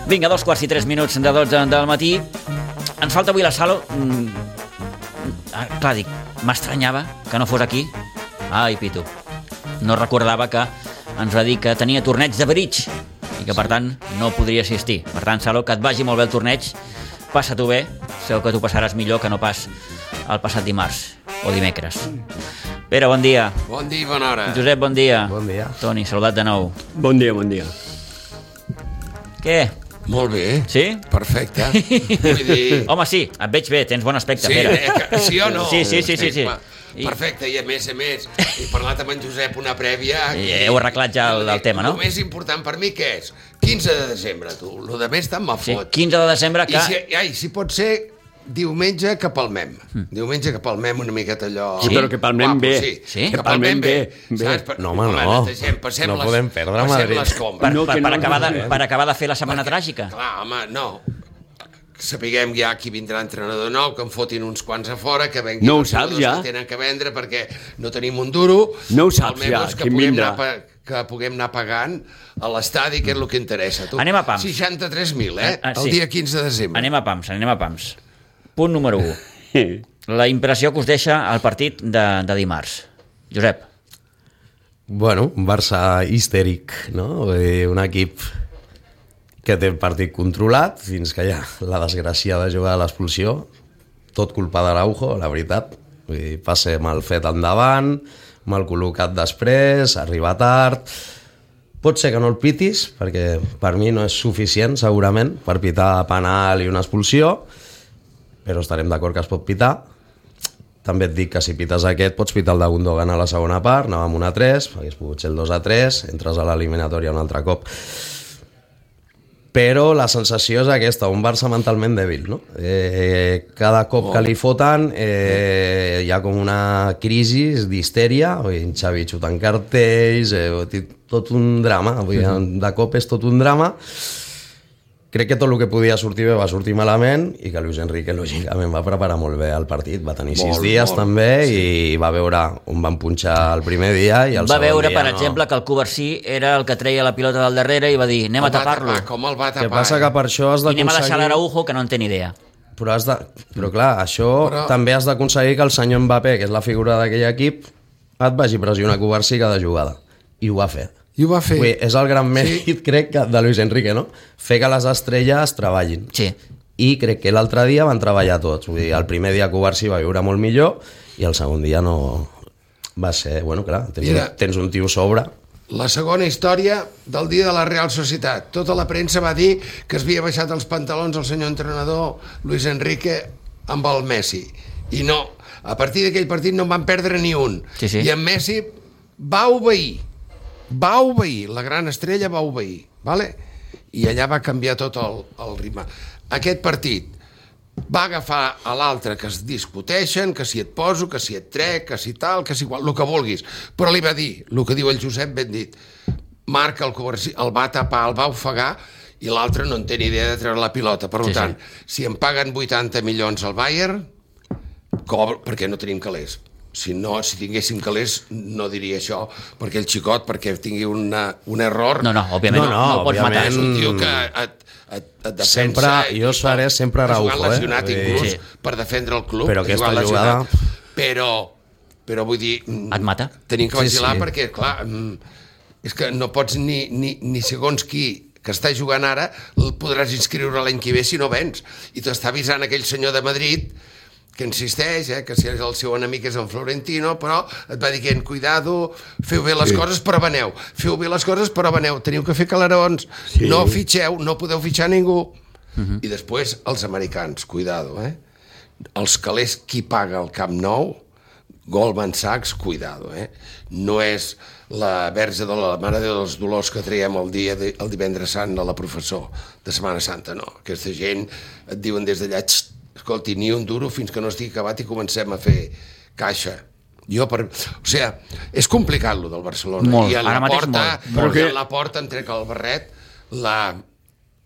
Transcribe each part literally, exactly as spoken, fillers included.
Vinga, dos quarts i tres minuts de dotze del matí. Ens falta avui la Salo. Mm, ah, clar, dic, m'estranyava que no fos aquí. Ai, Pitu. No recordava que ens va dir que tenia torneig de bridge i que, per tant, no podria assistir. Per tant, Salo, que et vagi molt bé el torneig. Passa-t'ho bé. Segur que tu passaràs millor que no pas el passat dimarts o dimecres. Pere, bon dia. Bon dia i bona hora. Josep, bon dia. Bon dia. Toni, saludat de nou. Bon dia, bon dia. Què? Molt bé. Sí? Perfecte. Vull dir... Home, sí, et veig bé, tens bon aspecte, Sí, Pere. eh, que- sí o no? Sí, sí, sí, sí, sí. Va, Perfecte, i a més a més, he parlat amb en Josep una prèvia... I heu arreglat ja el- el tema, no? El més important per mi què és? quinze de desembre, tu. Lo de més tant me Sí, fot. quinze de desembre que... I si, ai, si pot ser diumenge que palmem. Diumenge que palmem una miqueta allò... Sí, però que palmem Guapo, bé. Sí, Sí? que palmem bé. bé. Saps? Per- No, home, no. netegem, passem No les, podem perdre a passem Madrid. les combres. Per, No, per, que per, no, acabar no, de, no. per acabar de fer la setmana Perquè, tràgica. Clar, home, no. Sapiguem ja qui vindrà entrenador nou, que en fotin uns quants a fora, que venguin No ho els saps, jugadors ja? que tenen que vendre perquè no tenim un duro. No ho saps, Almenys ja, que quin puguem vindrà. anar pa- que puguem anar pagant a l'estadi, que és el que interessa. Tu. Anem a pams. seixanta-tres mil, eh? Ah, ah, sí. El dia quinze de desembre. Anem a pams, anem a pams. Punt número u. La impressió que us deixa el partit de, de dimarts. Josep. Bueno, un Barça histèric, no? Vull dir, un equip que té el partit controlat fins que hi ha la desgràcia de jugar a l'expulsió. Tot culpa d'Araujo, la veritat. Vull dir, passe mal fet endavant, mal col·locat després, arriba tard... Pot ser que no el pitis, perquè per mi no és suficient, segurament, per pitar penal i una expulsió, però estarem d'acord que es pot pitar. També et dic que si pites aquest pots pitar el de Gundogan a la segona part, anàvem un a tres, hagués pogut ser el dos a tres, entres a l'eliminatòria un altre cop. Però la sensació és aquesta, un Barça mentalment dèbil, no? Eh, cada cop que li foten eh, hi ha com una crisi d'histèria, en Xavi xutant cartells, eh, tot un drama, vull dir, de cop és tot un drama. Crec que tot el que podia sortir bé va sortir malament i que Luis Enrique lògicament va preparar molt bé el partit, va tenir sis Molt, dies molt, també i va veure on van punxar el primer dia i el Va segon veure, dia per no. exemple, que el Covarsí era el que treia la pilota del darrere i va dir anem a Com va tapar-lo. tapar, Com el va El que tapar? passa que per això has I anem a deixar d'aconseguir... l'Araujo, que no en té ni idea. Però, has de... però clar, això Però- també has d'aconseguir que el senyor Mbappé, que és la figura d'aquell equip, et vagi a pressionar Covarsí cada jugada. I ho va fer. I ho va fer. Vull dir, és el gran mèrit, sí. crec, que de Luis Enrique, no? Fer que les estrelles treballin. Sí. I crec que l'altre dia van treballar tots. Vull dir, el primer dia Covarsí va viure molt millor i el segon dia no... Va ser, bueno, clar, tens, Mira. un, tens un tio sobre. La segona història del dia de la Real Societat. Tota la premsa va dir que es havia baixat els pantalons el senyor entrenador Luis Enrique amb el Messi. I no, a partir d'aquell partit no en van perdre ni un. Sí, sí. I en Messi va obeir. Va obeir, la gran estrella va obeir. Vale? I allà va canviar tot el, el ritme. Aquest partit va agafar a l'altre que es discuteixen, que si et poso, que si et trec, que si tal, que si igual, el que vulguis. Però li va dir, el que diu el Josep ben dit, marca el Covarsí, el va tapar, el va ofegar, i l'altre no en té ni idea de treure la pilota. Per Sí, tant, sí. si em paguen vuitanta milions al Bayern, cobro, perquè no tenim calés. Si no, si tinguéssim calés, no diria això, perquè el xicot, perquè tingui una, un error... No, no, òbviament No, no, no, no el pots matar. òbviament. És un tio que et, et, et defensa... Sempre, jo seré sempre ha Araujo, jugat lesionat, eh? inclús, Sí. per defendre el club. Però ha aquesta jugat jugada- lesionat. Però, però vull dir... mm, Et mata? Tenim que Sí, vigilar sí. perquè, clar, mm, és que no pots ni, ni, ni segons qui que està jugant ara, el podràs inscriure l'any que ve si no vens. I t'està avisant aquell senyor de Madrid que insisteix, eh, que si el seu enemic és en Florentino, però et va dient, cuidado, feu bé les sí. coses, però veneu. Feu bé les coses, però veneu. Teniu que fer calarons, Sí. no fitxeu, no podeu fitxar ningú. Uh-huh. I després, els americans, cuidado, eh? Els calés, qui paga el Camp Nou, Goldman Sachs, cuidado, eh? No és la verge de la Mare de dels Dolors que traiem el, dia de, el divendres sant a la professor de Setmana Santa, no. Aquesta gent et diuen des d'allà, escolti, ni un duro fins que no estigui acabat i comencem a fer caixa. Jo per... O sigui, és complicat, lo del Barcelona. Molt, I a ara la mateix porta, molt. Però Perquè- que... a la porta em trec el barret, la...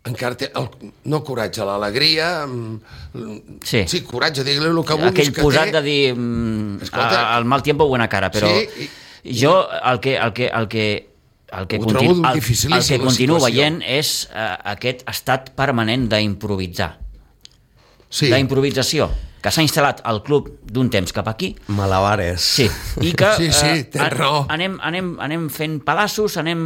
encara té el... no coratge, l'alegria, mm, Sí. sí, coratge, digue-li el que vulguis Aquell que posat té. de dir mm, Escolta. a- al mal tiempo buena cara, però Sí, jo el que, el que, el que el que, Ho continu, trobo el, el dificilíssim, que la continuo situació. veient és uh, aquest estat permanent d'improvisar. Sí. D'improvisació, que s'ha instal·lat al club d'un temps cap aquí. Malabares. Sí, i que Sí, sí, eh, tens raó. anem, anem, anem fent pedaços, anem,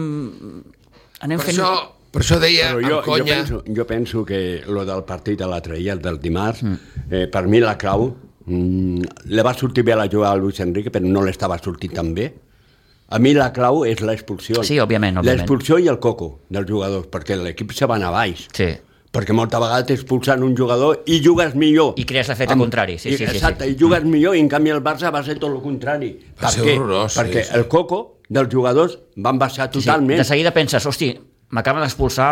anem Per fent... això, per això deia Però jo, amb jo, conya... penso, jo penso que lo del partit de l'altre dia, el del dimarts, mm. eh, per mi la clau, mm, le va sortir bé a la jugada a Luis Enrique, però no l'estava sortint tan bé. A mi la clau és l'expulsió. Sí, òbviament, òbviament. L'expulsió i el coco dels jugadors, perquè l'equip se va anar a baix. Sí. Perquè molta vegada t'expulsen un jugador i jugues millor. I crees l'efecte Amb- contrari, sí, i, sí, sí, exacte, sí. i jugues millor, i en canvi el Barça va ser tot el contrari. Va per ser què? horrorós, Perquè sí, sí. el coco dels jugadors van baixar totalment. Sí, de seguida penses, hosti, m'acaben d'expulsar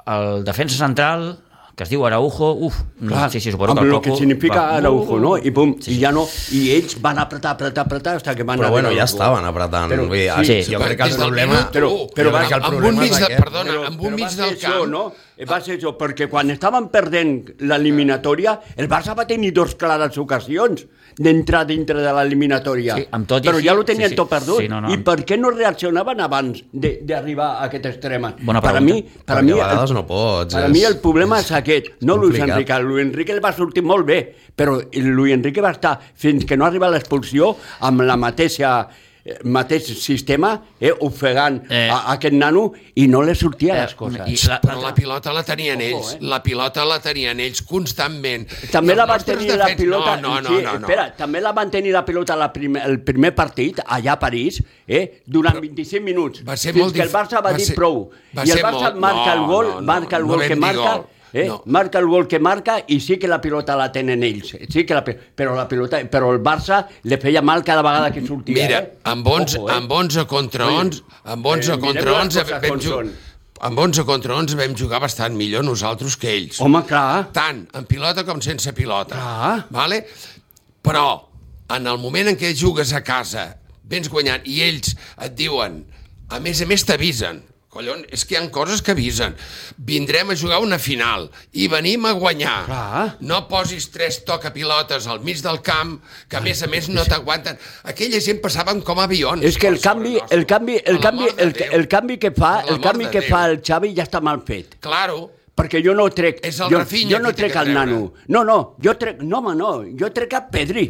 el defensa central, que es diu Araujo, uf, Clar, sí, sí, suposo amb que el el Coco... que significa va- Araujo, no? I pum, Sí, i sí. ja no, i ells van apretar, apretar, apretar, fins que van Però bueno, arribar ja al gol. estaven apretant. Però- Vull dir, sí, sí, jo crec que el Des del problema... minut però- u, però va que el amb un problema mig és de, aquest. perdona, Però, amb un però mig va ser del això, camp... no? Va ser això, perquè quan estaven perdent l'eliminatòria, el Barça va tenir dos clares ocasions d'entrar dintre de l'eliminatòria. Sí, amb tot i però així- ja ho tenien sí, sí. tot perdut. Sí, no, no. I per què no reaccionaven abans de- d'arribar a aquest extrem? Bona per a pregunta. mi, per a Perquè mi, a vegades no pots, Per a és- mi el problema és aquest, no Luis complicat. Enrique. Luis Enrique el va sortir molt bé, però Luis Enrique va estar fins que no arriba l'expulsió amb la mateixa eh, mateix sistema, eh, ofegant Eh. a, a aquest nano i no li sortia Eh, les coses. i- la- Però la pilota la tenien Ojo, ells, eh? la pilota la tenien ells constantment. També I la els van nostres tenir la defenses- pilota... No, no, sí, no, no, no. Espera, també la van tenir la pilota la primer, el primer partit, allà a París, eh, durant vint-i-cinc minuts, va ser fins molt que el dif- Barça va, va dir ser- prou. va I el ser Barça molt- marca no, el gol, no, no, marca el no gol vam que dir marca... gol. Eh? No. Marca el gol que marca i sí que la pilota la tenen ells. Sí que la, pi- però, la pilota, però el Barça li feia mal cada vegada que sortia. Mira, eh? amb onze, Ojo, eh? amb onze contra onze, amb onze eh, mirem contra les onze coses vam com jugar... són. Amb onze contra onze vam jugar bastant millor nosaltres que ells. Home, clar. Tant en pilota com sense pilota. Clar. Vale? Però, en el moment en què jugues a casa, vens guanyant, i ells et diuen, a més a més t'avisen, collons, és que hi ha coses que avisen. Vindrem a jugar una final i venim a guanyar. Clar. No posis tres tocapilotes al mig del camp, que a més a més no t'aguanten. Aquella gent passaven com avions. És que el per sobre canvi, nostre. el canvi, el Per canvi, l'amor de el, Déu. el canvi que fa, Per el l'amor canvi de que Déu. fa el Xavi ja està mal fet. Claro. Perquè jo no trec... És el jo, Rafinha jo no qui té trec que el treure. nano. No, no, jo trec... No, home, no. Jo trec el Pedri.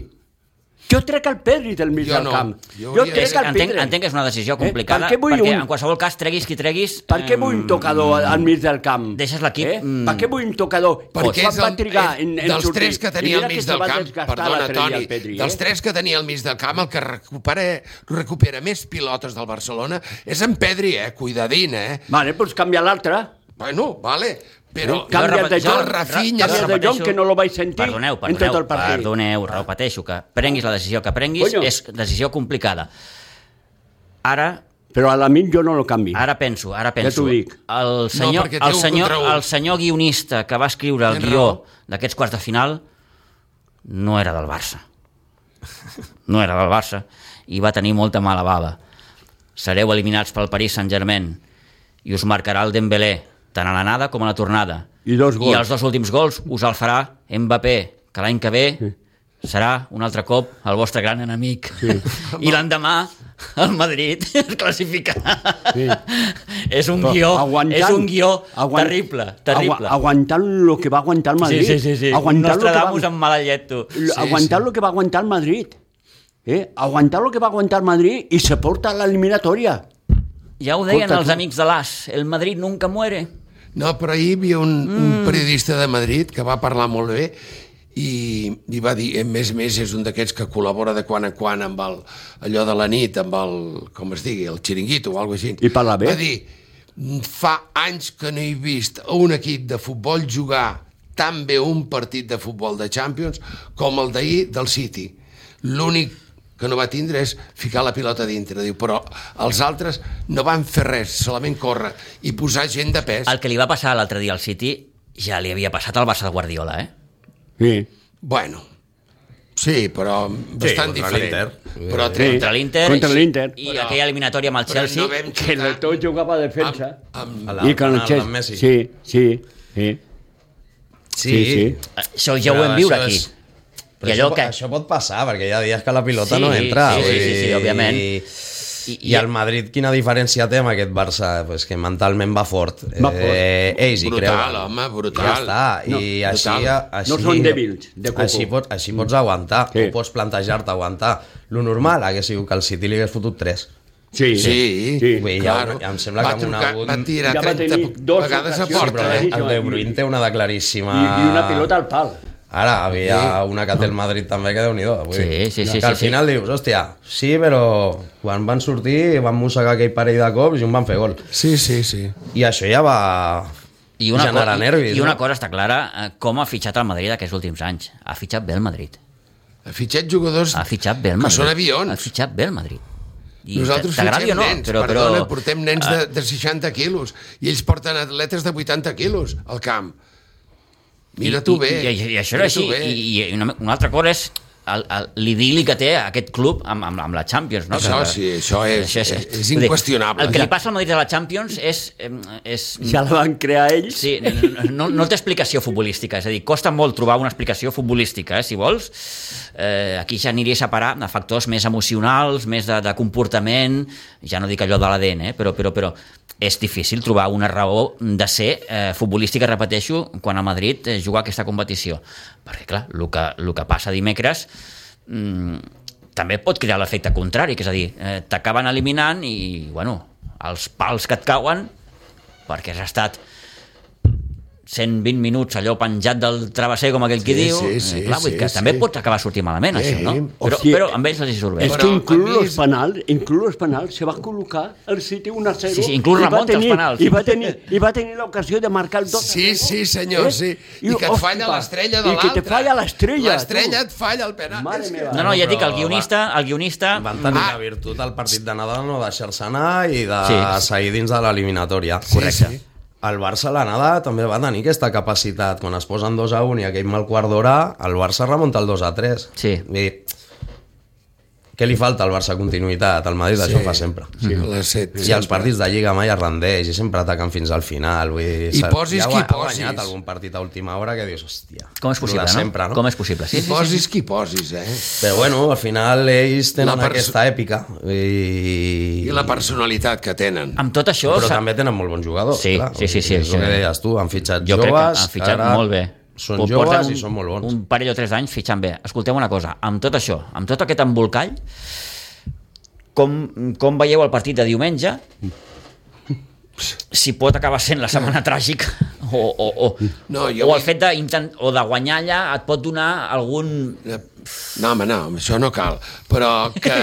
Jo trec el Pedri del mig Jo del no. camp. Jo Jo hauria trec de- el Entenc, Pedri. entenc que és una decisió Eh? complicada, Per què vull perquè un- en qualsevol cas treguis qui treguis... Per què vull un tocador al, al mig del camp? Deixes l'equip, Eh? mm. Per què vull un tocador? Perquè Quan és va el, trigar és, en, en dels sortir? tres que I tenia mira al mig que se del va camp, desgastar perdona, l'altre dia Toni, el Pedri, dels eh? tres que tenia al mig del camp, el que recupera, recupera més pilotes del Barcelona és en Pedri, eh? Cuidadín, eh? Vale, doncs canvia l'altre. Bueno, vale, però... Eh? Canvia repet- de jo John, el Rafinha... canvia de John, que no lo vaig sentir Perdoneu, en perdoneu, tot el partit. perdoneu, repeteixo, que prenguis la decisió que prenguis, Coño. és decisió complicada. Ara, Però a l'amic jo no lo canvi. ara penso, ara penso, t'ho dic. el senyor, perquè té el, un senyor, contra un. el senyor guionista que va escriure el Tens guió raó. d'aquests quarts de final no era del Barça. No era del Barça i va tenir molta mala bava. Sereu eliminats pel Paris Saint-Germain i us marcarà el Dembélé tant a l'anada com a la tornada. I dos gols. I els dos últims gols us el farà Mbappé, que l'any que ve sí. serà un altre cop el vostre gran enemic. Sí. I l'endemà el Madrid es classificarà. Sí. És un Però guió, aguantant- és un guió aguant- terrible, terrible. Agu aguantant el que va aguantar el Madrid. Sí, sí, sí, sí. Aguantant lo que va- Nostradamus amb mala llet, tu. L- aguantar el que va aguantar el Madrid. Eh? Aguantar el que va aguantar el Madrid i se porta a l'eliminatòria. Ja ho deien Escolta, els tu- amics de l'As, el Madrid nunca muere. No, però ahir hi havia un, mm. un periodista de Madrid que va parlar molt bé i, i va dir, a més a més, és un d'aquests que col·labora de quan en quan amb el, allò de la nit, amb el, com es digui, el xiringuito o alguna cosa així. I parla bé. Va dir, fa anys que no he vist un equip de futbol jugar tan bé un partit de futbol de Champions com el d'ahir del City. L'únic que no va tindre és ficar la pilota dintre, diu, però els altres no van fer res, solament córrer i posar gent de pes. El que li va passar l'altre dia al City ja li havia passat al Barça de Guardiola, eh? Sí. Bueno, sí, però bastant contra diferent. l'Inter. Però Sí. Contra l'Inter Contra l'Inter. i Però- aquella eliminatòria amb el però Chelsea. no vam Que xutar el tot jugava a defensa. amb, A amb, la- I con el amb Chelsea. Messi. Sí, sí, sí. Sí, Sí, sí. Això ja ho Però vam viure això aquí. és- Però I això, allò que... això pot passar, perquè hi ha dies que la pilota Sí, no entra. sí, vull sí, sí, sí, dir, òbviament. I, I el Madrid, quina diferència té amb aquest Barça? Pues que mentalment va fort. Va fort. Eh, ells hi creuen. Brutal, home, brutal. Ja està. No, I així, així, no són dèbils, de coco. Així pots, així pots aguantar. Sí. O pots plantejar-te aguantar. Lo normal hagués sigut que el City li hagués fotut tres. Sí, Sí, sí. Vull dir, claro. ja, ja em sembla va que amb una... trucar, va tirar Ja va trenta tenir dos vegades a ocasions, porta, Però eh? el De Bruyne té una de claríssima... I, I una pilota al pal. Ara, havia una que té el Madrid també, que déu-n'hi-do. Sí, sí, sí, que sí, al sí. final dius, hòstia, sí, però quan van sortir van mossegar aquell parell de cops i un van fer gol. Sí, sí, sí. I això ja va I una, generar co nervis. i una no? cosa està clara, eh, com ha fitxat el Madrid aquests últims anys. Ha fitxat bé el Madrid. Ha fitxat jugadors Ha fitxat bé el que Madrid. són avions. Ha fitxat bé el Madrid. I Nosaltres t'agradi fitxem o no, nens, però, però... perdona, portem nens de, de seixanta quilos i ells porten atletes de vuitanta quilos al camp. Mira tu bé. I, i, i això era així. I, i una, una altra cosa és el- el- l'idili que té aquest club amb, amb, amb la Champions. No? Això Que- sí, això és- és vull dir, inqüestionable. El que li passa al Madrid a la Champions és... eh, és Ja la van crear ells. Sí, no, no té explicació futbolística, és a dir, costa molt trobar una explicació futbolística, eh, si vols. Eh, aquí ja aniria a separar de factors més emocionals, més de, de comportament, ja no dic allò de l'A D N, eh, però, però, però és difícil trobar una raó de ser eh, futbolística, repeteixo, quan a Madrid eh, juga aquesta competició. Perquè, clar, el que, el que passa dimecres mm, també pot crear l'efecte contrari, que és a dir, eh, t'acaben eliminant i, bueno, els pals que et cauen perquè has estat cent vint minuts allò penjat del travesser, com aquell qui Sí, diu. sí, sí, eh, clar, vull dir que sí, també sí. pot acabar sortint malament, Sí. això, no? Però, Hòstia, però amb ells els hi surt bé. És Però que a inclús mi los és- penals, inclús los penals, se va col·locar el City un a zero. Sí, sí, inclús i va remunta els tenir- penals. I va tenir, i va tenir l'ocasió de marcar el dos a Sí, zero. sí, senyor, sí. I que et falla ospa, l'estrella de I l'altre. que te falla l'estrella. L'estrella tu. et falla el penal. Mare És que- meva. No, no, ja et dic, el Però guionista, el guionista... Van tenir Ah. la virtut al partit de Nadal no deixar-se anar i de Sí. seguir dins de l'eliminatòria. Correcte. Sí. El Barça a l'anada també va tenir aquesta capacitat. Quan es posen dos a un i aquell mal quart d'hora, el Barça remunta el dos a tres. Sí. I què li falta al Barça? Continuïtat. El Madrid això ho fa sempre. Sí, les set, I els partits de Lliga mai es rendeix i sempre ataquen fins al final. Vull dir, I s'ha- posis ja qui ha posis. guanyat algun partit a última hora que dius, hòstia... Com és possible, lo de no? sempre, no? Com és possible, sí, I sí, sí. posis qui posis, eh? Però bueno, al final ells tenen La perso- aquesta èpica i... I la personalitat que tenen. Amb tot això... Però s'ha- també tenen molt bons jugadors. Sí, clar. sí, sí, sí, És sí. el que deies tu, han fitxat Jo crec joves, que han fitxat ara molt bé. Són Porten joves un, i són molt bons. Un parell o tres d'anys fitxant bé. Escolteu una cosa, amb tot això, amb tot aquest embolcall, com, com veieu el partit de diumenge? Si pot acabar sent la setmana tràgica o, o, o, No, jo o el vull- fet de, intent, o de guanyar allà et pot donar algun... No, home, no, això no cal. Però que...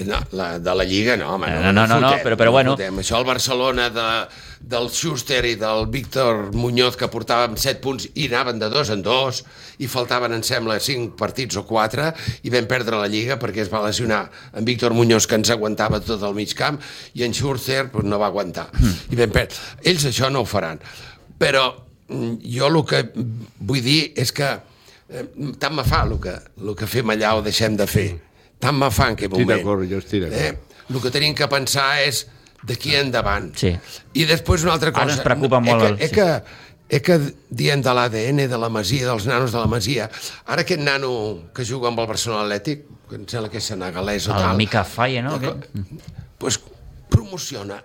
No, la, de la Lliga no, home. No, no, no, no, però- però bueno. Fotem. Això el Barcelona de, del Schuster i del Víctor Muñoz, que portàvem set punts i anaven de dos en dos, i faltaven, em sembla, cinc partits o quatre, i vam perdre la Lliga perquè es va lesionar en Víctor Muñoz, que ens aguantava tot el mig camp, i en Schuster pues, no va aguantar. I vam perdre. Ells això no ho faran. Però mm, jo el que vull dir és que eh, tant me fa el que, el que fem allà o deixem de fer. Tant me fa en aquest Estic moment. d'acord, jo estic d'acord. Eh? El que tenim que pensar és d'aquí endavant. Sí. I després una altra cosa. Ara ens preocupa molt Eh el- que, eh que, eh que dient de l'A D N de la Masia, dels nanos de la Masia, ara aquest nano que juga amb el Barcelona Atlètic, que em sembla que és senegalès o El tal... Mika Faye, no? Eh, Aquest? pues, promociona,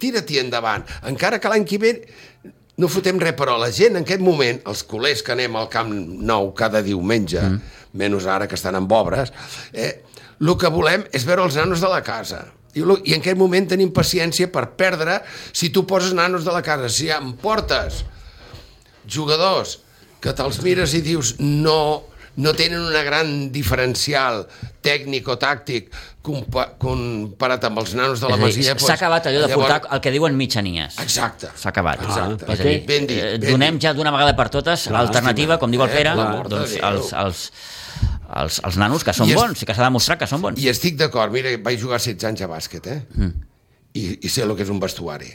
tira-t'hi endavant, encara que l'any que ve no fotem res, però la gent en aquest moment, els culers que anem al Camp Nou cada diumenge, mm. menys ara que estan amb obres, eh, el que volem és veure els nanos de la casa. I, lo, I en aquest moment tenim paciència per perdre si tu poses nanos de la casa. Si em portes jugadors que te'ls mires i dius no, no tenen una gran diferencial tècnic o tàctic compa comparat amb els nanos de la És a dir, Masia... S'ha acabat allò de llavors- portar el que diuen mitjanies. Exacte. S'ha acabat. Exacte. És a dir, Ben dit, eh, ben donem dit. ja d'una vegada per totes l'alternativa, com diu el Eh, Pere, per l'amor de doncs Déu. els, els, els, els nanos que són I és- bons i que s'ha demostrat que són bons. I estic d'acord, mira, vaig jugar setze anys a bàsquet, eh? Mm. I, I sé el que és un vestuari.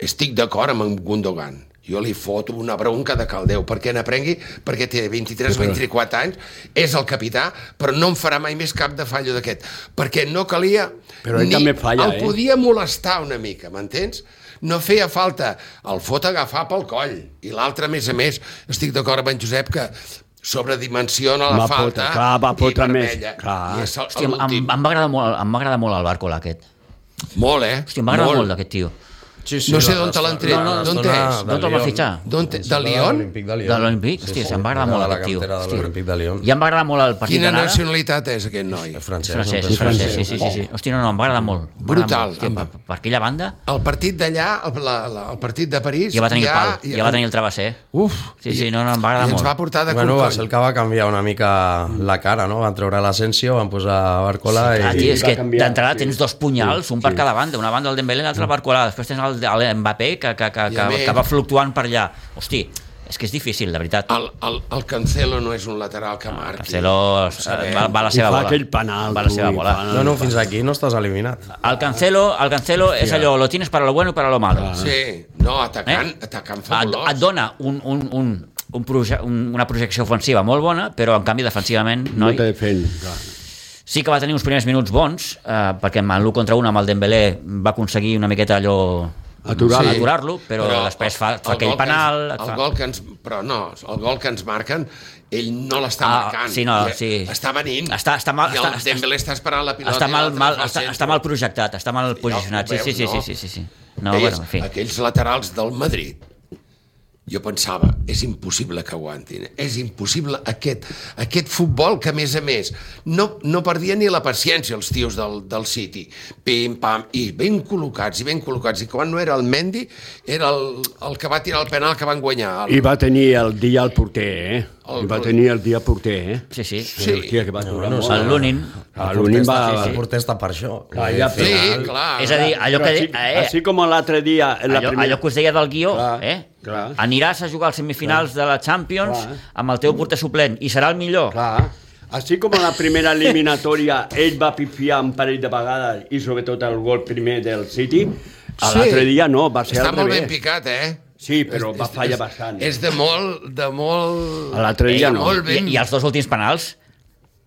Estic d'acord amb en Gundogan. Jo li foto una bronca de caldeu perquè n'aprengui, perquè té vint-i-tres o vint-i-quatre anys, és el capità, però no em farà mai més cap de fallo d'aquest. Perquè no calia... Però ell també falla, el eh? podia molestar una mica, m'entens? No feia falta el fot agafar pel coll. I l'altre, a més a més, estic d'acord amb en Josep que sobredimensiona la Va falta fotre, clar, va i fotre més, vermella. clar. I és el- Hòstia, em, l'últim. em, va agradar molt, em va agradar molt el Barcola, aquest. Molt, eh? Hòstia, em va agradar molt, molt d'aquest tio. Sí, sí, No sé la- d'on te l'han tret, la- d'on la- és? de D'on te'l va Lyon. fitxar? D'on te- de Sembla Lyon? l'Olímpic de Lyon. De l'Olímpic? Hòstia, se'm va agradar Era molt de la aquest tio. cantera de Hòstia. l'Olímpic de Lyon. Ja em va agradar molt el partit Quina d'anada. nacionalitat és aquest noi? Francès. Francès, no? francès, sí, sí, sí, sí. Hòstia, no, no, em va agradar molt. Em va agradar Brutal. molt. Hòstia, per, per aquella banda El partit d'allà, el, la, la, el partit de París... ja va tenir el pal, ja va tenir el travesser. Uf! Sí, sí, no, no, em va agradar I ens molt. va portar de Bueno, va corcoll. ser el que va canviar una mica la cara, no? Van treure l'Asensio, van posar Barcola Ah, i... tio, és va que canviar, d'entrada sí. tens dos punyals, un per cada banda, una banda el Dembélé i l'altra el Barcola, després tens el, el Mbappé que, que, que, I que, a més- que va fluctuant per allà. Hosti, és que és difícil, de veritat. El, el, el Cancelo no és un lateral que marqui. Cancelo eh, sabem. va, va la I seva fa bola. aquell penal, Va la tu, seva i bola. fa- No, no, fins aquí no estàs eliminat. El Cancelo, el Cancelo és allò, lo tienes para lo bueno y para lo malo. Sí, no, atacant, Eh? atacant Et, fabulós. et dona un, un, un, un proje, un, una projecció ofensiva molt bona, però en canvi defensivament No noi, te defen, clar. sí que va tenir uns primers minuts bons, eh, perquè en l'u contra un amb el Dembélé va aconseguir una miqueta allò Aturar-lo. sí, aturar-lo, però, però després fa, fa el aquell gol que penal. Ens, et el fa... gol que ens, però no, el gol que ens marquen, ell no l'està Ah, marcant. sí, no, I sí. Està venint. Està- està mal- I el està- Dembélé està esperant la pilota. Està i mal, l'altre mal, fa el està, centre. està mal projectat, està mal posicionat. Sí, Ja ho sí, sí, veus, sí, no? sí, sí. No, Ves, bueno, en fi. aquells laterals del Madrid, jo pensava, és impossible que aguantin. És impossible aquest, aquest futbol que, a més a més, no, no perdia ni la paciència els tios del, del City. Pim, pam, i ben col·locats, i ben col·locats. I quan no era el Mendy, era el, el que va tirar el penal que van guanyar. El, I va tenir el dia el porter, eh? El- I va tenir el dia porter, eh? Sí, sí. Sí. Hòstia, que va durar no, molt. El Lunin. Ah, l'Unin va... sí, El porter està per això. Ah, ja, sí, Final. clar. És a dir, allò Però que... així, Eh, així com l'altre dia... en La allò, primera... allò que us deia del guió, Clar, eh? clar. Aniràs a jugar als semifinals de la Champions Clar. amb el teu porter suplent i serà el millor. Clar. Així com a la primera eliminatòria ell va pifiar un parell de vegades i sobretot el gol primer del City, a l'altre dia no, va ser Està al molt revés. ben picat, eh? Sí, però És- va és- fallar és- bastant. És de molt... De molt... A l'altre dia de no. Molt I, ben... I els dos últims penals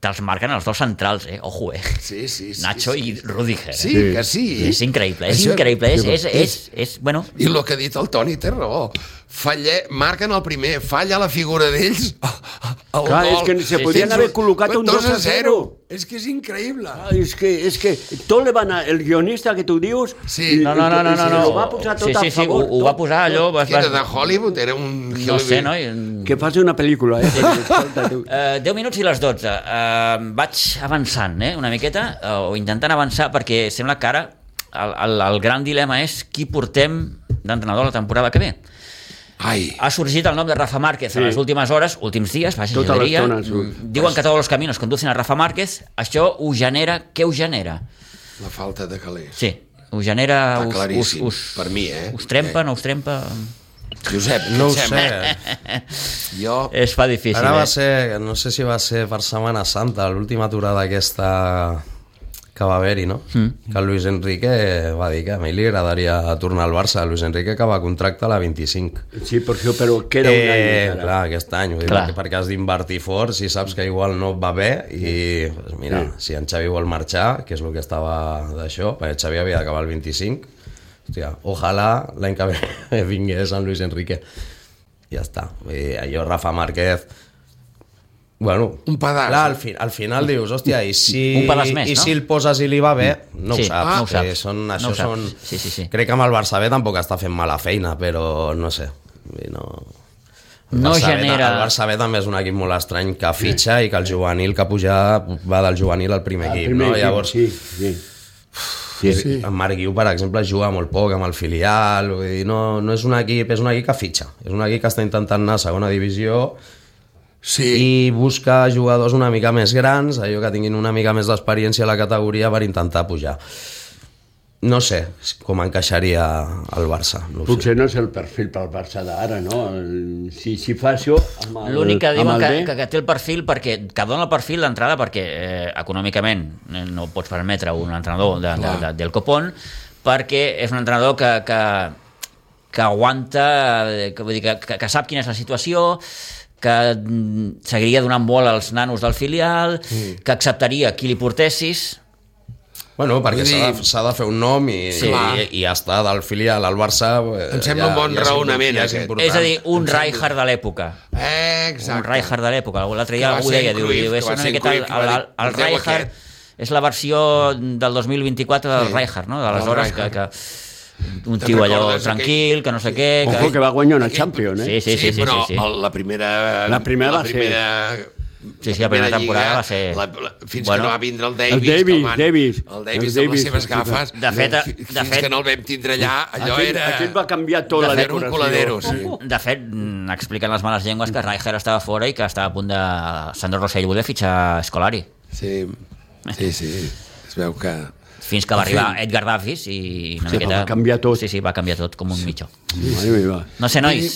te'ls marquen els dos centrals, eh? Ojo, eh? Sí, sí, sí. Nacho sí. i Rudiger. Eh? Sí, que sí. És increïble, és Això- increïble. És, és, és, és, bueno, I el que ha dit el Toni té raó. Falle, marquen el primer, falla la figura d'ells, el Clar, gol. és que se podien Tens haver col·locat un dos a zero. És que és increïble. Ah, és, que, és que tot le van a... El guionista que tu dius... Sí. no, no, no, no, no, se no. lo va posar tot sí, sí, a sí, favor. ho, ho va posar allò... Vas, Que era vas, de Hollywood, era un... no sé, no? Que faci una pel·lícula, eh? Escolta, tu. Uh, deu minuts i les dotze. Uh, vaig avançant, eh, una miqueta, uh, o intentant avançar, perquè sembla que ara el, el, el gran dilema és qui portem d'entrenador la temporada que ve. Ai, Ha sorgit el nom de Rafa Márquez sí. Sí. en les últimes hores, últims dies, vaja, Tota jo diria. l'estona surt. Mm, Diuen que tots els caminos conducen a Rafa Márquez. Això ho genera... Què ho genera? la falta de calés. Sí, ho genera... Està Us, claríssim, us, us, per mi, eh? Us trempa, no us trempa? Josep, què No ho et sé. sembla? Jo... Es fa difícil, Ara va eh? ser, no sé si va ser per Setmana Santa, l'última aturada aquesta que va haver-hi, no? Mm. Que el Luis Enrique va dir que a mi li agradaria tornar al Barça. El Luis Enrique acaba contracte a la vint-i-cinc. Sí, per això, però queda un any Eh, encara. clar, aquest any, vull dir, Clar. perquè, perquè has d'invertir fort si saps que igual no et va bé i pues mira, si en Xavi vol marxar, que és el que estava d'això, perquè Xavi havia d'acabar el vint-i-cinc, hòstia, ojalà l'any que ve vingués en Luis Enrique. Ja està. Vull dir, allò Rafa Márquez... Bueno, Un pedaç. clar, al, fi, al final dius, hòstia, i si, Un pedaç més, i no? si el poses i li va bé, no Sí, ho saps. no ho saps. Eh, Són, No això ho saps. són... Sí, sí, sí. Crec que amb el Barça B tampoc està fent mala feina, però no sé. Vull dir, no... El No Barça B, genera... el Barça B també és un equip molt estrany que fitxa i que el juvenil que puja va del juvenil al primer El equip, primer no? equip, Llavors, Sí, sí. sí, sí. En Marc Guiu, per exemple, juga molt poc amb el filial, vull dir, no, no és un equip, és un equip que fitxa, és un equip que està intentant anar a segona divisió Sí, i busca jugadors una mica més grans, allò que tinguin una mica més d'experiència a la categoria per intentar pujar. No sé com encaixaria el Barça. No ho sé. Potser no és el perfil pel Barça d'ara, no? El, si, si fa això... amb el- L'únic que diuen amb el que, B, que, que té el perfil perquè que dona el perfil d'entrada perquè eh, econòmicament eh, no pots permetre un entrenador de, de, de, del copón perquè és un entrenador que, que, que aguanta, eh, que, vull dir, que, que, que sap quina és la situació, que mm, seguiria donant bola als nanos del filial, mm. que acceptaria qui li portessis. Bueno, perquè Vull s'ha dir- de, s'ha de fer un nom i, Sí. i, i estar del filial al Barça... eh, Em sembla un bon és impor- raonament, ja aquest. important. És a dir, un Rijkaard de l'època. Eh, Un exacte. Rijkaard de l'època. L'altre dia Que va algú ser deia, en diu, Cruyff, diu, que és va una ser en miqueta... Cruyff, que va El, dir, el, el "Porteu Rijkaard aquest". és la versió del dos mil vint-i-quatre del Sí. Rijkaard, no? Del D'aleshores, que, Rijkaard. que un Te'n tio allò recordes tranquil, que no sé què... Ojo, que va guanyar una Aquell- Champions, eh? Sí, sí, sí, sí, però sí, sí. el- la primera... La primera va ser- primera, Sí, sí, la primera temporada lliga, va ser- La, la, fins Bueno. que no va vindre el Davis. El Davis, que el van- Davis. El Davis El amb les Davis, seves sí, gafes. De fet, de fi- fins fet- que no el vam tindre allà, allò Aquell, era... aquell va canviar tota la de fer un decoració. coladero, sí. De fet, mm, expliquen les males llengües que Rijkaard estava fora i que estava a punt de... Sandro Rossell volia fitxar Scolari. Sí, sí, sí. Es veu que... Fins que va En fi. arribar Edgar Davis i una Sí, miqueta... va canviar tot. Sí, sí, va canviar tot com un mitjó. Mare meva. No sé, nois.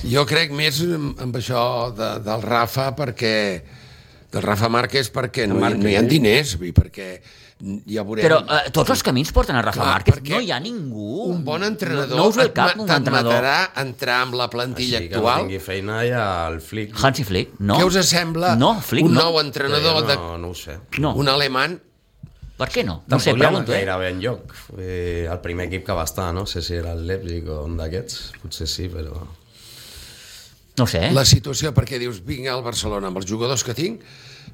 Jo crec més amb amb això de, del Rafa perquè del Rafa Márquez perquè no, hi- no hi ha diners, vull dir, perquè ja veurem... Però eh, tots els camins porten a Rafa Clar, Márquez. perquè No hi ha ningú. un bon entrenador No, no us ve el cap et un ma- entrenador. t'admetrà entrar amb la plantilla Així que no actual. tingui feina ja el Flick. Hansi Flick, no. Què us sembla No, Flick, un no. nou entrenador, de, No, no ho sé. No. un alemany? Per què no? No No sé, sé, pregunto, eh? gairebé enlloc. Eh, el primer equip que va estar, no sé si era el Leipzig o un d'aquests, potser sí, però... No sé, eh? La situació, perquè dius, vinc al Barcelona amb els jugadors que tinc,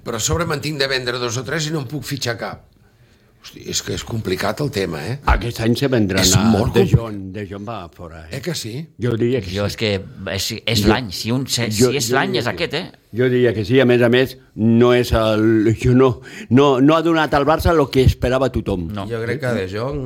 però a sobre me'n tinc de vendre dos o tres i no en puc fitxar cap. Hosti, és que és complicat el tema, eh? Aquest any se vendran És a molt De complicat. Jong. De Jong va fora, Eh eh? que sí? Jo diria que Jo sí. és que és, és Jo- l'any. Si, un, si, Jo- si és jo l'any diria és que- aquest, eh? Jo diria que sí, a més a més, no és el... Jo no, no, no ha donat al Barça el que esperava tothom. No. Jo crec que De Jong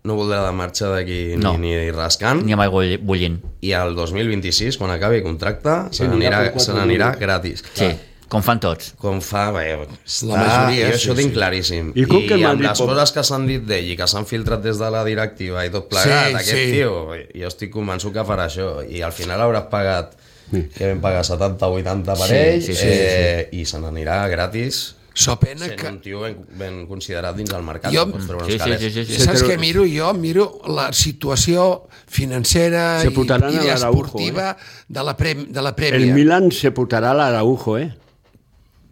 no voldrà de marxa d'aquí No. ni, ni rascant. Ni amb aigua bullint. I el dos mil vint-i-sis, quan acabi contracte, se anirà n'anirà per quatre se n'anirà milions. gratis. Sí, com fan tots. Com fa... Bé, està, majoria, jo sí, això ho tinc sí. claríssim. I com que el amb Madrid les pot- coses que s'han dit d'ell i que s'han filtrat des de la directiva i tot plegat, Sí, aquest sí. tio, jo estic convençut que farà això. I al final hauràs pagat, que vam pagar setanta o vuitanta per Sí, ell, sí, sí, eh, i se n'anirà gratis, So pena sent que... un tio ben, ben considerat dins el mercat. Jo- no pots treure Sí, uns sí, calés. sí, sí, sí. Sí. Saps però- què miro? Jo miro la situació financera Se i, fotran i a l'Araujo, esportiva de la, pre, de la El Prèmia. Milan se putarà l'Araujo, eh?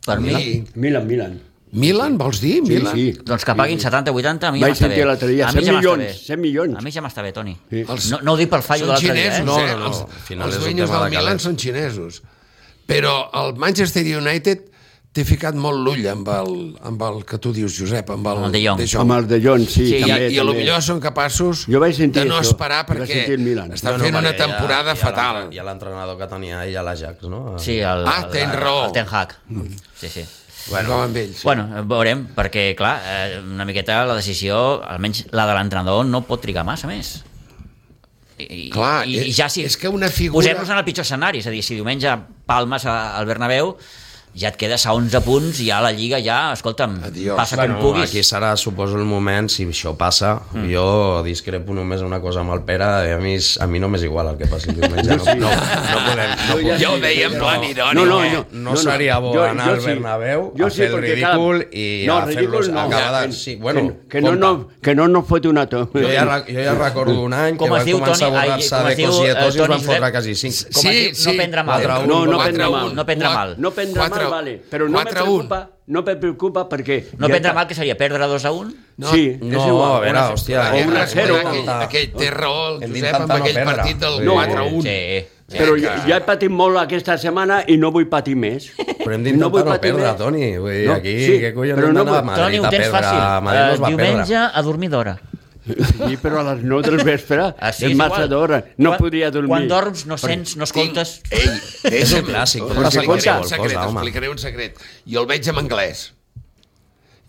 Per mi, Sí. Milan, Milan. Milan, vols dir? Sí, Milan? sí. doncs que paguin setanta o vuitanta, a mi ja Vaig m'està bé. sentir l'altre dia, A mi cent ja m'està milions, bé. cent milions. A mi ja m'està bé, Toni. Sí. Els- No, no ho dic pel fallo de Són l'altre dia, xinesos, eh? No, eh? no, no. Els, Al final els és un dueños tema del de Milan calés. són xinesos. Però el Manchester United té ficat molt l'ull amb el, amb el que tu dius, Josep, amb el, Amb el De Jong. Amb el De Jong, sí, Sí, I, també. I a lo també. millor són capaços Jo vaig sentir de no això, esperar vaig perquè sentir el Milan. estan No, no, fent una perquè hi ha- temporada hi ha fatal. l'entre- Hi ha l'entrenador que tenia ell a l'Ajax, no? Sí, el, Ah, el, tens el, raó. el Ten Hag. Sí, sí. Bueno, com amb ells. Bueno, veurem, perquè, clar, eh, una miqueta la decisió, almenys la de l'entrenador, no pot trigar massa més. I, Clar, i, i ja si és que una figura- posem-nos en el pitjor escenari, és a dir, si diumenge palmes a- al Bernabéu, ja et quedes a onze punts i ja la Lliga ja, escolta'm, Adiós. passa Bueno, com puguis. aquí serà, suposo, el moment, si això passa, mm. jo discrepo només una cosa amb el Pere, i a mi, és- a mi no m'és igual el que passi el diumenge. No, no, no podem... No, Jo ja Ja ho sí, deia en no. plan irònic. No, no, eh? no. no seria bo Jo- anar jo al sí. Bernabéu Jo a sí, fer el perquè, ridícul clar, i no, a fer-los ridícul no. acabar de... Que- Sí, bueno, que, que, no, no, que no nos fote una to. Jo ja, re- jo ja recordo un any Com que es van diu, començar Toni? a Ai, borrar-se com de es diu, cos i de tos i eh, es van Toni fotre Josep? quasi cinc. Com es diu? No prendre mal. quatre a un, No, no quatre prendre a un. mal. No prendre mal. No prendre Quatre- mal, vale, però no me quatre a un. preocupa, no me preocupa perquè... No ja prendre està. mal, que seria perdre dos a un? No, Sí, és No, igual. a veure, Una- hòstia... o Hem una de zero. recordar aquell, aquell té raó, el Hem Josep, d'intentar amb no aquell perdre. partit del Sí. quatre a un. Sí. Però que- ja, ja he patit molt aquesta setmana i no vull patir més. Però hem d'intentar vull no patir perdre, més. Toni. Vull dir, No, aquí, sí, què collons però hem no d'anar a vull- Toni, Madrid ho a tens perdre? fàcil. A Madrid no es Eh, va diumenge perdre. a dormir d'hora. Sí, però a les nou del vespre Ah, sí, és és massa igual. d'hora. No Quan- podria dormir. Quan dorms no sents, no escoltes... Ei, És un deixa'm- clàssic, pot Us passar explicaré qualsevol un secret, cosa, home. explicaré un secret. Jo el veig en anglès.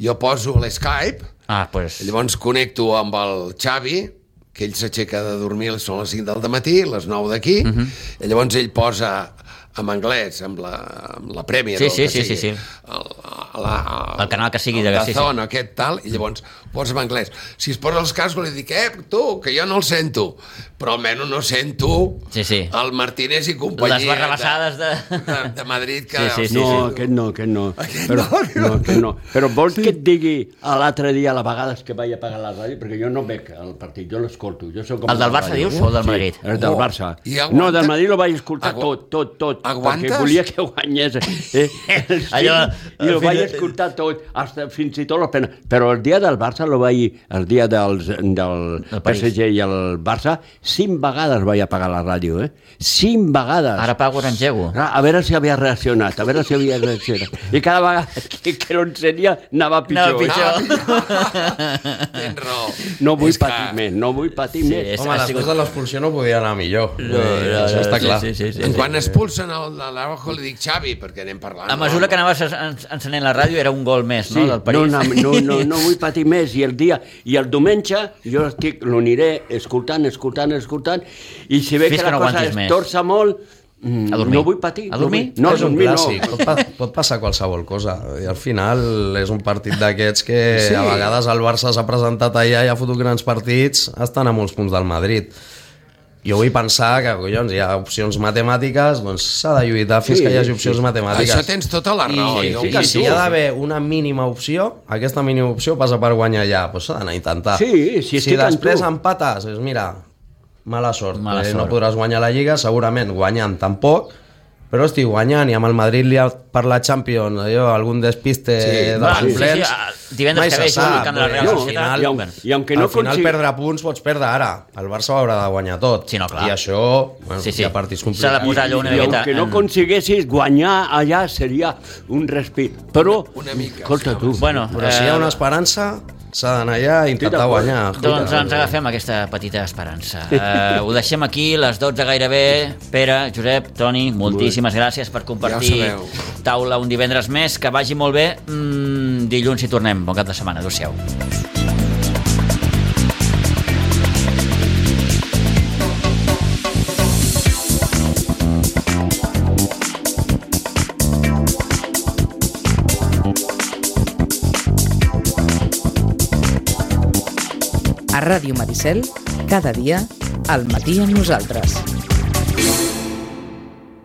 Jo poso l'Skype, Ah, pues... llavors connecto amb el Xavi, que ell s'aixeca de dormir, són les cinc del matí, les nou d'aquí, Mhm. i llavors ell posa en anglès, amb la, amb la prèmia Sí, del sí, que sí, sigui, sí, sí. El, la, El canal que sigui de- el sí, sí. Dazón, aquest tal, i llavors posa'm anglès. Si es posa els cascos li dic, eh, tu, que jo no el sento, però almenys no sento sí, sí. el Martínez i companyia les barrabassades de... de, de Madrid. Que, sí, sí, sí, no, sí. aquest no, aquest no. Aquest però, no, no, aquest no. Però vols sí. que et digui a l'altre dia, a la vegades que vaig a pagar la ràdio, perquè jo no veig el partit, jo l'escolto. Jo soc com el del Barça, dius, o el del Madrid? Sí, el del Barça. Oh, no, del Madrid lo vaig escoltar Agu... tot, tot, tot, Aguantes? perquè volia que guanyés. Eh? Allò... I ho vaig escoltar tot, hasta, fins i tot la pena. Però el dia del Barça, lo vaig, el dia dels, del P S G i el Barça, cinc vegades vaig apagar la ràdio, eh? Cinc vegades. Ara pago, ara engego. A veure si havia reaccionat, a veure si havia reaccionat. I cada vegada que, que no encenia anava pitjor. Anava pitjor. Tens raó. No vull És patir que... més, no vull patir Sí, més. és- Home, ha després sigut- de l'expulsió no podia anar millor. No, no, no, Això està sí, clar. sí, sí, sí, sí. Quan expulsen el de l'Araujo li dic Xavi, perquè anem parlant. A mesura que anaves en- encenent la ràdio era un gol més, no?, del París. No, no, no, no, no vull patir més. I el dia, i el diumenge jo estic, l'aniré escoltant, escoltant, escoltant, i si ve Fins que que la no cosa aguantis es més. torça molt, mm, A dormir. no vull patir. A dormir? No, no és un dormir no. clàssic, pot, pa pot passar qualsevol cosa. I al final és un partit d'aquests que Sí. sí. a vegades el Barça s'ha presentat allà i ha fotut grans partits, estan a molts punts del Madrid. Jo vull pensar que, collons, hi ha opcions matemàtiques, doncs s'ha de lluitar fins Sí, que hi hagi opcions sí. matemàtiques. Això tens tota la raó. I, jo ho i, canto. si hi ha d'haver una mínima opció, aquesta mínima opció passa per guanyar ja, doncs s'ha d'anar a intentar. Sí, si estic si després amb tu. empates, és, mira, mala sort, Mala eh, sort. no podràs guanyar la Lliga, segurament guanyant tampoc, però estic guanyant i amb el Madrid li ha per la Champions, allò, algun despiste Sí, de va, pamplens, sí, sí, divendres mai que se ve juga al sap, camp de la Real perquè al Societat. final, I aun- i aunque no al final consiga- perdre punts pots perdre ara, el Barça ho haurà de guanyar tot, Sí, no, clar. i això, bueno, Sí, sí. hi ha partits S'ha complicats. de posar allò una I miqueta aunque no en- consiguessis guanyar allà seria un respir. Però, Una mica, escolta tu, Bueno, Però si hi ha eh, una esperança, s'ha d'anar allà i intentar d'acord. guanyar. doncs ens agafem aquesta petita esperança. Eh, ho deixem aquí, les dotze gairebé. Pere, Josep, Toni, moltíssimes gràcies per compartir Ja ho sabeu. taula un divendres més. Que vagi molt bé. Mm, dilluns hi tornem. Bon cap de setmana. Adéu-siau. A Ràdio Maricel, cada dia, al matí amb nosaltres.